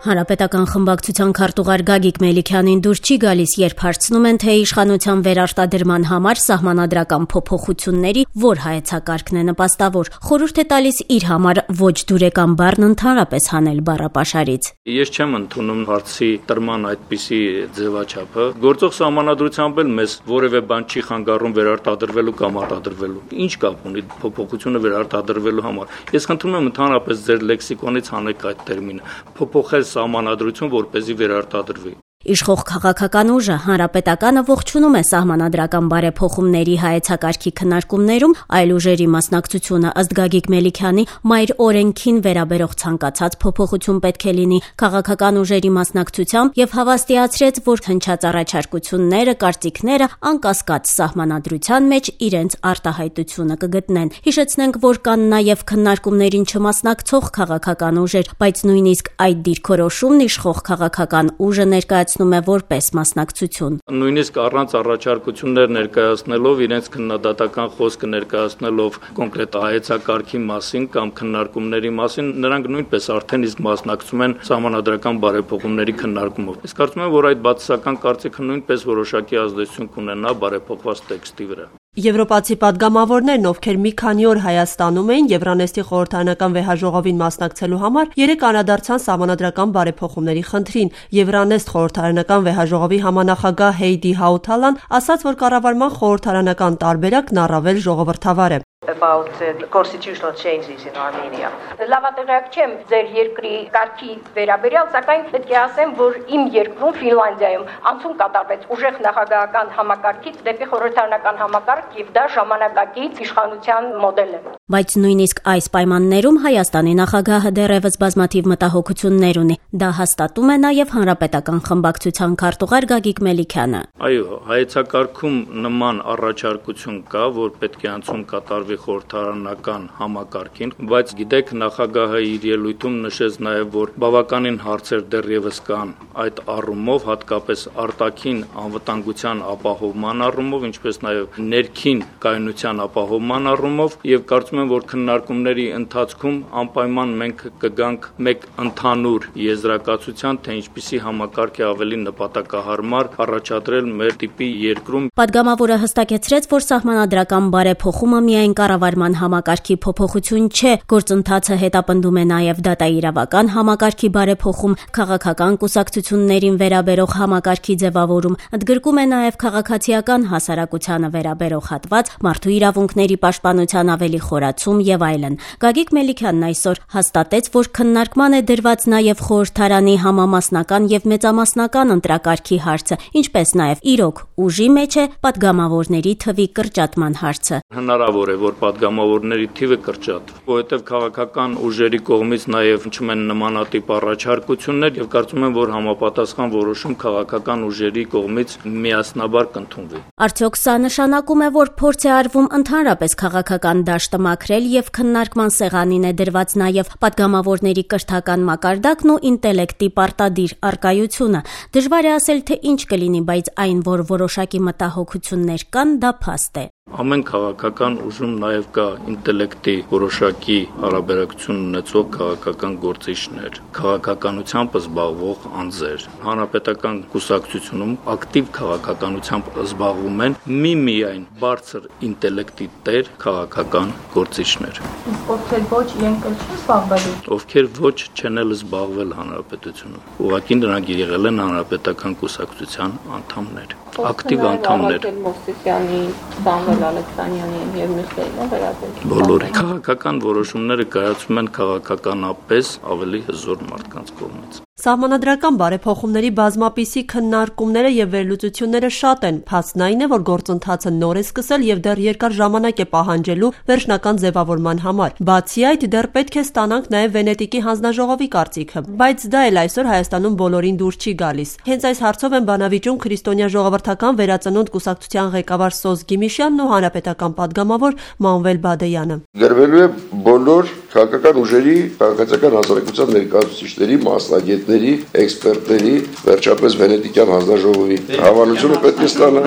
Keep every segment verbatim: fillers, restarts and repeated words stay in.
Հանրապետական խմբակցության քարտուղար Գագիկ Մելիքյանին դուր չի գալիս, երբ հարցնում են, թե իշխանության վերարտադրման համար սահմանադրական փոփոխությունների որ հայեցակարգն է նպաստավոր, խորհուրդ է տալիս իր համար ոչ դուրեկան բառն ընդհանրապես հանել բառապաշարից։ Ես չեմ ընդունում հարցի տրման այդպիսի ձևաչափը։ Գործող սահմանադրությամբ էլ մեզ որևէ բան չի խանգարում վերարտադրվելու կամ արտադրվելու։ Ինչ կապ ունի փոփոխությունը վերարտադրվելու համար։ Ես խնդրում եմ ընդհանրապես ձեր լեքսիկոնից հանեք այդ տերմինը։ Փոփոխել սահմանադրություն, որպեսզի վերարտադրվի։ Իշխող քաղաքական ուժը Հանրապետականը ողջունում է սահմանադրական բարեփոխումների հայեցակարգի քննարկումներում, այլ ուժերի մասնակցությունը ըստ Գագիկ Մելիքյանի մայր օրենքին վերաբերող ցանկացած փոփոխություն պետք է լինի քաղաքական ուժերի մասնակցությամբ եւ հավաստիացրեց, որ հնչած առաջարկությունները, կարծիքները անկասկած սահմանադրության մեջ իրենց արտահայտությունը կգտնեն։ Հիշեցնենք, որ կան նաեւ քննարկումներին չմասնակցող քաղաքական ուժեր, բայց նույնիսկ այդ դիրքորոշումն իշխող քաղաքական ուժը ներկայացնում է որպես մասնակցություն։ Նույնիսկ առանց առաջարկություններ ներկայացնելով, իրենց քննադատական խոսքը ներկայացնելով կոնկրետ հայեցակարգի մասին կամ քննարկումների մասին, նրանք նույնպես արդեն իսկ մասնակցում են սահմանադրական բարեփոխումների քննարկումով։ Ես կարծում եմ, որ այդ բացասական կարծիքը նույնպես որոշակի ազդեցություն կունենա բարեփոխված տեքստի վրա։ Եվրոպացի պատգամավորներն, ովքեր մի քանի օր Հայաստանում էին Եվրանեստի խորհրդարանական վեհաժողովին մասնակցելու համար, երեկ անդրադարձան սահմանադրական բարեփոխումների խնդրին։ Եվրանեստ խորհրդարանական վեհաժողովի համանախագահ Հեյդի Հաութալան ասաց, որ կառավարման խորհրդարանական տարբերակն առավել ժողովրդավար է։ About the constitutional changes in Armenia. Լավատեղյակ չեմ ձեր երկրի կարգի վերաբերյալ, սակայն պետք է ասեմ, որ իմ երկրում Ֆինլանդիայում անցում կատարվեց ուժեղ նախագահական համակարգից դեպի խորհրդարանական համակարգ եւ դա ժամանակակից իշխանության մոդել է։ Բայց նույնիսկ այս պայմաններում Հայաստանի նախագահը դեռևս բազմաթիվ մտահոգություններ ունի։ Դա հաստատում է նաեւ Հանրապետական խմբակցության քարտուղար Գագիկ Մելիքյանը։ Այո, հայեցակարգում նման առաջարկություն կա, որ պետք է անցում կատարվի խորհրդարանական համակարգին, բայց գիտեք, նախագահը իր ելույթում նշեց նաև, որ բավականին հարցեր դեռևս կան այդ առումով, հատկապես արտաքին անվտանգության ապահովման առումով, ինչպես նաև ներքին կայունության ապահովման առումով, եւ կարծում եմ, որ քննարկումների ընթացքում անպայման մենք կգանք մեկ ընդհանուր եզրակացության, թե ինչպիսի համակարգ է ավելի նպատակահարմար առաջադրել մեր տիպի երկրում։ Պատգամավորը հստակեցրեց, որ սահմանադրական բարեփոխումը միայն կառավարման համակարգի փոփոխություն չէ, գործընթացը հետապնդում է նաև դատաիրավական համակարգի բարեփոխում, քաղաքական կուսակցություններին վերաբերող համակարգի ձևավորում, ընդգրկում է նաև քաղաքացիական հասարակությանը վերաբերող հատված, մարդու իրավունքների պաշտպանության ավելի խորացում եւ այլն։ Գագիկ Մելիքյանն այսօր հաստատեց, որ քննարկման է դրված նաև խորհրդարանի համամասնական եւ մեծամասնական ընտրակարգի հարցը, ինչպես նաև իրոք ուժի մեջ է պատգամավորների թվի կրճատման հարցը։ Հնարավոր է, որ պատգամավորների թիվը կրճատվի, որովհետև քաղաքական ուժերի կողմից նաև հնչում են նմանատիպ առաջարկություններ եւ կարծում եմ, որ համապատասխան որոշում քաղաքական ուժերի կողմից միասնաբար կընդունվի։ Արդյոք սա նշանակում է, որ փորձ է արվում ընդհանրապես քաղաքական դաշտը մաքրել եւ քննարկման սեղանին է դրված նաև պատգամավորների կրթական մակարդակն ու ինտելեկտի պարտադիր արկայությունը։ Դժվար է ասել, թե ինչ կլինի, բայց այն, որ որոշակի մտահոգություններ կան, դա փաստ է։ Ամեն քաղաքական ուժում նաև կա ինտելեկտի որոշակի հարաբերակցություն ունեցող քաղաքական գործիչներ, քաղաքականությամբ զբաղվող անձեր։ Հանրապետական կուսակցությունում ակտիվ քաղաքականությամբ զբաղվում են միմիայն բարձր ինտելեկտի տեր քաղաքական գործիչներ։ Ովքեր ոչ իրենք չեն զբաղվել։ Ովքեր ոչ չեն էլ զբաղվել հանրապետությունում։ Ուղղակի նրանք եղել են հանրապետական կուսակցության անդամներ, ակտիվ անդամներ։ Ալեքսանյանին եւ մյուսներին վերաբերել։ Բոլորը քաղաքական որոշումները կայացվում են քաղաքականապես ավելի հզոր մարդկանց կողմից։ Սահմանադրական բարեփոխումների բազմապիսի քննարկումները եւ վերլուծությունները շատ են, փաստն այն է, որ գործընթացը նոր է սկսել եւ դեռ երկար ժամանակ է պահանջելու վերջնական ձևավորման համար։ Բացի այդ, դեռ պետք է ստանանք նաեւ Վենետիկի հանձնաժողովի կարծիքը, բայց դա էլ այսօր Հայաստանում բոլորին դուր չի գալիս։ Հենց այս հարցով են բանավիճում Քրիստոնյա ժողովրդական վերածնունդ կուսակցության ղեկավար Սոզ Գիմիշյանն ու հանրապետական պատգամավոր Մանվել Բադեյանը։ Գրվելու է բոլոր քաղաքական ուժերի, քաղաքացիական հասարակության ներկայացուցիչների, մասնագետների, էքսպերտների, վերջապես Վենետիկյան հանձնաժողովի հավանությունը պետք է ստանա։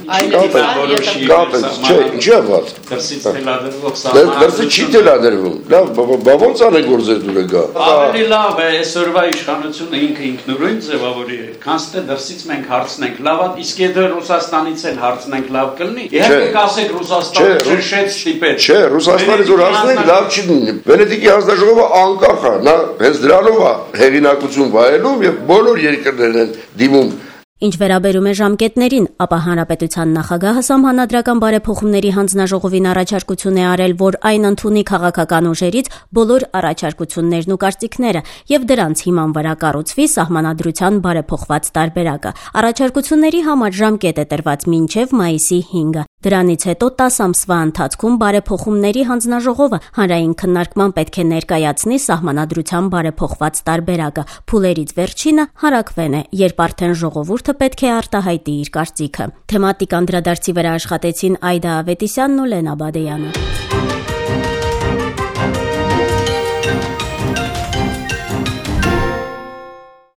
Կապեց, չէ, ինչի է վատ։ Դրսից թելադրվող սահման։ Դրսից չի թելադրվում։ Լավ, բա ոնց անենք որ ձեր դուրը գա։ Ավելի լավ է այսօրվա իշխանությունը ինքը ինքնուրույն ձևավորի է, քան թե դրսից մենք հարցնենք։ Լավ, իսկ եթե Ռուսաստանից էլ հարցնենք, լավ կլինի։ Իհարկե կասեք Ռուսաստանը ճնշեց ստիպեց։ Չէ, Ռուսաստանից որ հարցնենք, լավ չի լինի։ Վենետիկի հանձնաժողովը անկախ է, նա հենց դրանով է հեղինակություն վայելում եւ բոլոր երկրներն են դիմում։ Ինչ վերաբերում է ժամկետներին, ապա հանրապետության նախագահը սահմանադրական բարեփոխումների հանձնաժողովին առաջարկություն է արել, որ այն ընդունի քաղաքական ուժերից բոլոր առաջարկություններն ու կարծիքները եւ դրանց հիման վրա կառուցվի սահմանադրության բարեփոխված տարբերակը։ Առաջարկությունների համար ժամկետ է տրված մինչեւ մայիսի հինգը։ Դրանից հետո տասը ամսվա ընթացքում բարեփոխումների հանձնաժողովը հանրային քննարկման պետք է ներկայացնի սահմանադրության բարեփոխված տարբերակը։ Փուլերից վերջինը հարակվեն է, երբ արդեն ժողովուրդը պետք է արտահայտի իր կարծիքը։ Թեմատիկ անդրադարձի վրա աշխատեցին Այդա Ավետիսյանն ու Լենա Բադեյանը։